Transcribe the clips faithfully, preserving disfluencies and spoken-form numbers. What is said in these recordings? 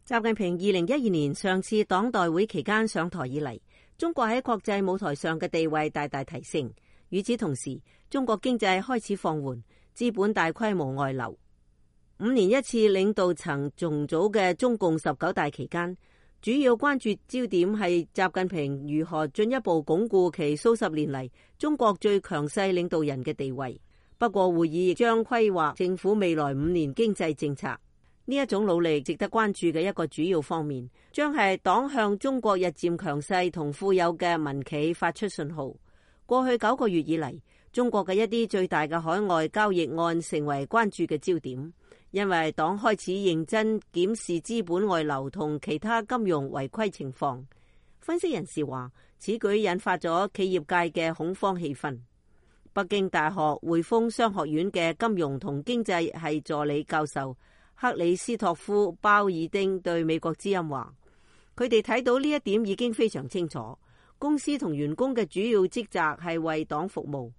習近平二零一二年上次黨代會期間上台以嚟，中國喺國際舞台上嘅地位大大提升。與此同時，中國經濟開始放緩，資本大規模外流。五年一次領導層重組嘅中共十九大期間，主要關注焦點係習近平如何進一步鞏固其數十年嚟中國最強勢領導人嘅地位。不過，會議亦將規劃政府未來五年經濟政策。呢一種努力值得關注嘅一個主要方面，將係黨向中國日漸強勢同富有嘅民企發出信號。過去九個月以嚟，中國嘅一啲最大嘅海外交易案成為關注嘅焦點，因為黨開始認真檢視資本外流同其他金融違規情況。分析人士話，此舉引發咗企業界嘅恐慌氣氛。北京大學匯豐商學院嘅金融同經濟系助理教授克里斯托夫鮑爾丁對美國之音話，佢哋睇到呢一點已經非常清楚，公司同員工嘅主要職責係為黨服務。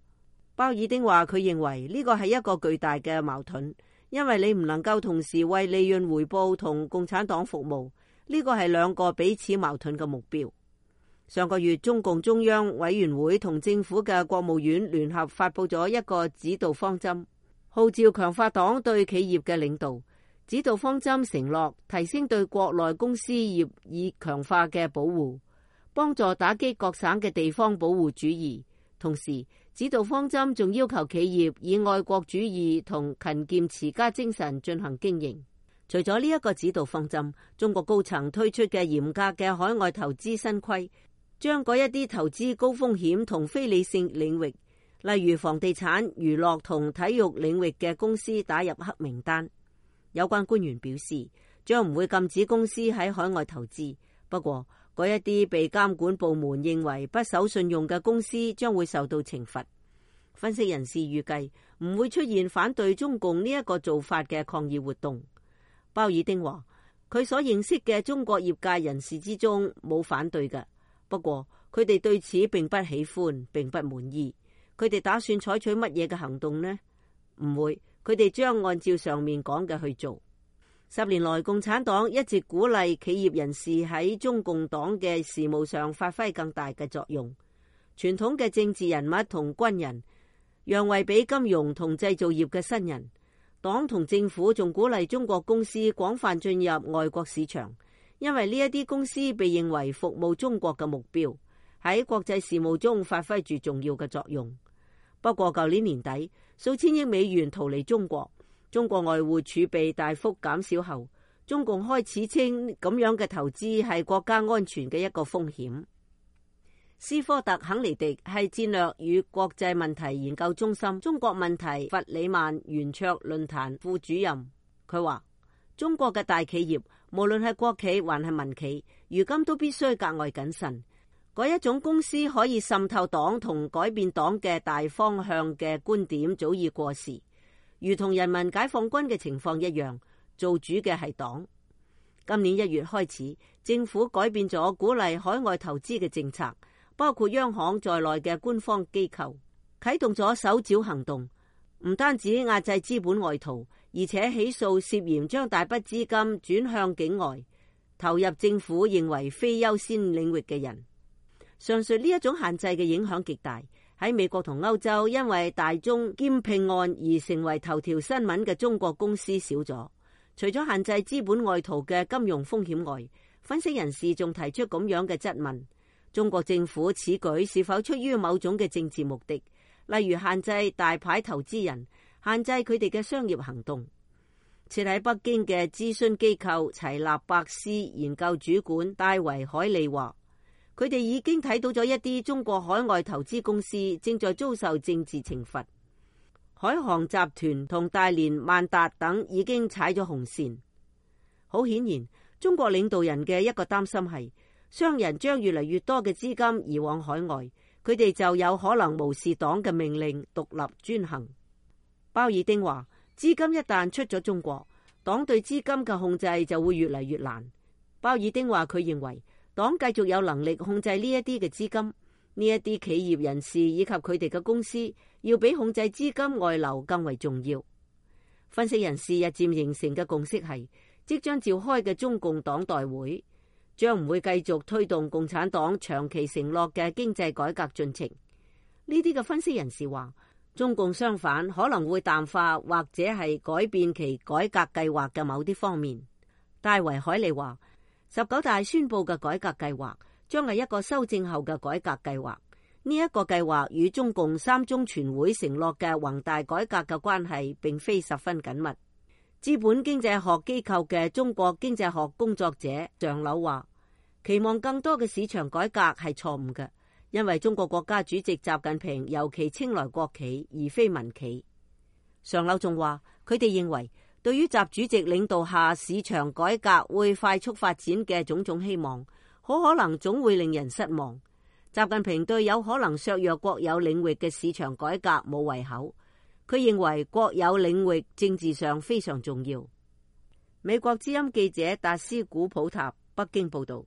鮑爾丁話，佢認為呢個係一個巨大嘅矛盾，因為你唔能夠同時為利潤回報同共產黨服務，呢個係兩個彼此矛盾嘅目標。上個月，中共中央委員會同政府嘅國務院聯合發佈咗一個指導方針，號召強化黨對企業嘅領導。指導方針承諾提升對國內公司業以強化嘅保護，幫助打擊各省嘅地方保護主義。同時，指導方針仲要求企業以愛國主義同勤儉持家精神進行經營。除咗呢一個指導方針，中國高層推出嘅嚴格嘅海外投資新規，將嗰一啲投資高風險同非理性領域，例如房地產、娛樂同體育領域嘅公司打入黑名單。有關官員表示，將唔會禁止公司喺海外投資，不過嗰一啲被監管部門認為不守信用嘅公司將會受到懲罰。分析人士預計唔會出現反對中共呢一個做法嘅抗議活動。鮑爾丁話，佢所認識嘅中國業界人士之中冇反對嘅，不過佢哋對此並不喜歡，並不滿意。佢哋打算採取乜嘢嘅行動呢？唔會。佢哋將按照上面講嘅去做。十年來，共產黨一直鼓勵企業人士喺中共黨嘅事務上發揮更大嘅作用。傳統嘅政治人物同軍人讓位俾金融同製造業嘅新人。黨同政府仲鼓勵中國公司廣泛進入外國市場，因為呢一啲公司被認為服務中國嘅目標，喺國際事務中發揮住重要嘅作用。不過，舊年年底，數千億美元逃離中國，中國外匯儲備大幅減少後，中共開始稱咁樣嘅投資係國家安全嘅一個風險。斯科特肯尼迪係戰略與國際問題研究中心中國問題弗里曼圓桌論壇副主任，佢話：中國嘅大企業，無論係國企還係民企，如今都必須格外謹慎。嗰一種公司可以滲透黨同改變黨嘅大方向嘅觀點早已過時，如同人民解放軍嘅情況一樣，做主嘅係黨。今年一月開始，政府改變咗鼓勵海外投資嘅政策，包括央行在內嘅官方機構啟動咗搜剿行動，唔單止壓制資本外逃，而且起訴涉嫌將大筆資金轉向境外，投入政府認為非優先領域嘅人。上述呢一種限制嘅影響極大，喺美國同歐洲，因為大宗兼併案而成為頭條新聞嘅中國公司少咗。除咗限制資本外逃嘅金融風險外，分析人士仲提出咁樣嘅質問：中國政府此舉是否出於某種嘅政治目的，例如限制大牌投資人，限制佢哋嘅商業行動？設喺北京嘅諮詢機構齊立伯斯研究主管戴維海利話，佢哋已經睇到咗一啲中國海外投資公司正在遭受政治懲罰。海航集團同大連萬達等已經踩咗紅線。好顯然，中國領導人嘅一個擔心係，商人將越嚟越多嘅資金移往海外，佢哋就有可能無視黨嘅命令，獨立專行。鮑爾丁話，資金一旦出咗中國，黨對資金嘅控制就會越嚟越難。鮑爾丁話，佢認為黨繼續有能力控制呢一啲嘅資金，呢一啲企業人士以及佢哋嘅公司要比控制資金外流更為重要。分析人士日漸形成嘅共識係，即將召開嘅中共黨代會將唔會繼續推動共產黨長期承諾嘅經濟改革進程。呢啲嘅分析人士話，中共相反可能會淡化或者係改變其改革計劃嘅某啲方面。戴維海利話，十九大宣布嘅改革計劃將係一個修正後嘅改革計劃。呢、這、一個計劃與中共三中全會承諾嘅宏大改革嘅關係並非十分緊密。資本經濟學機構嘅中國經濟學工作者常柳話，期望更多嘅市場改革係錯誤嘅，因為中國國家主席習近平尤其青睞國企而非民企。常柳仲話，佢哋認為對於習主席領導下市場改革會快速發展嘅種種希望，好可能總會令人失望。習近平對有可能削弱國有領域嘅市場改革冇胃口。佢認為國有領域政治上非常重要。美國之音記者達斯古普塔北京報道。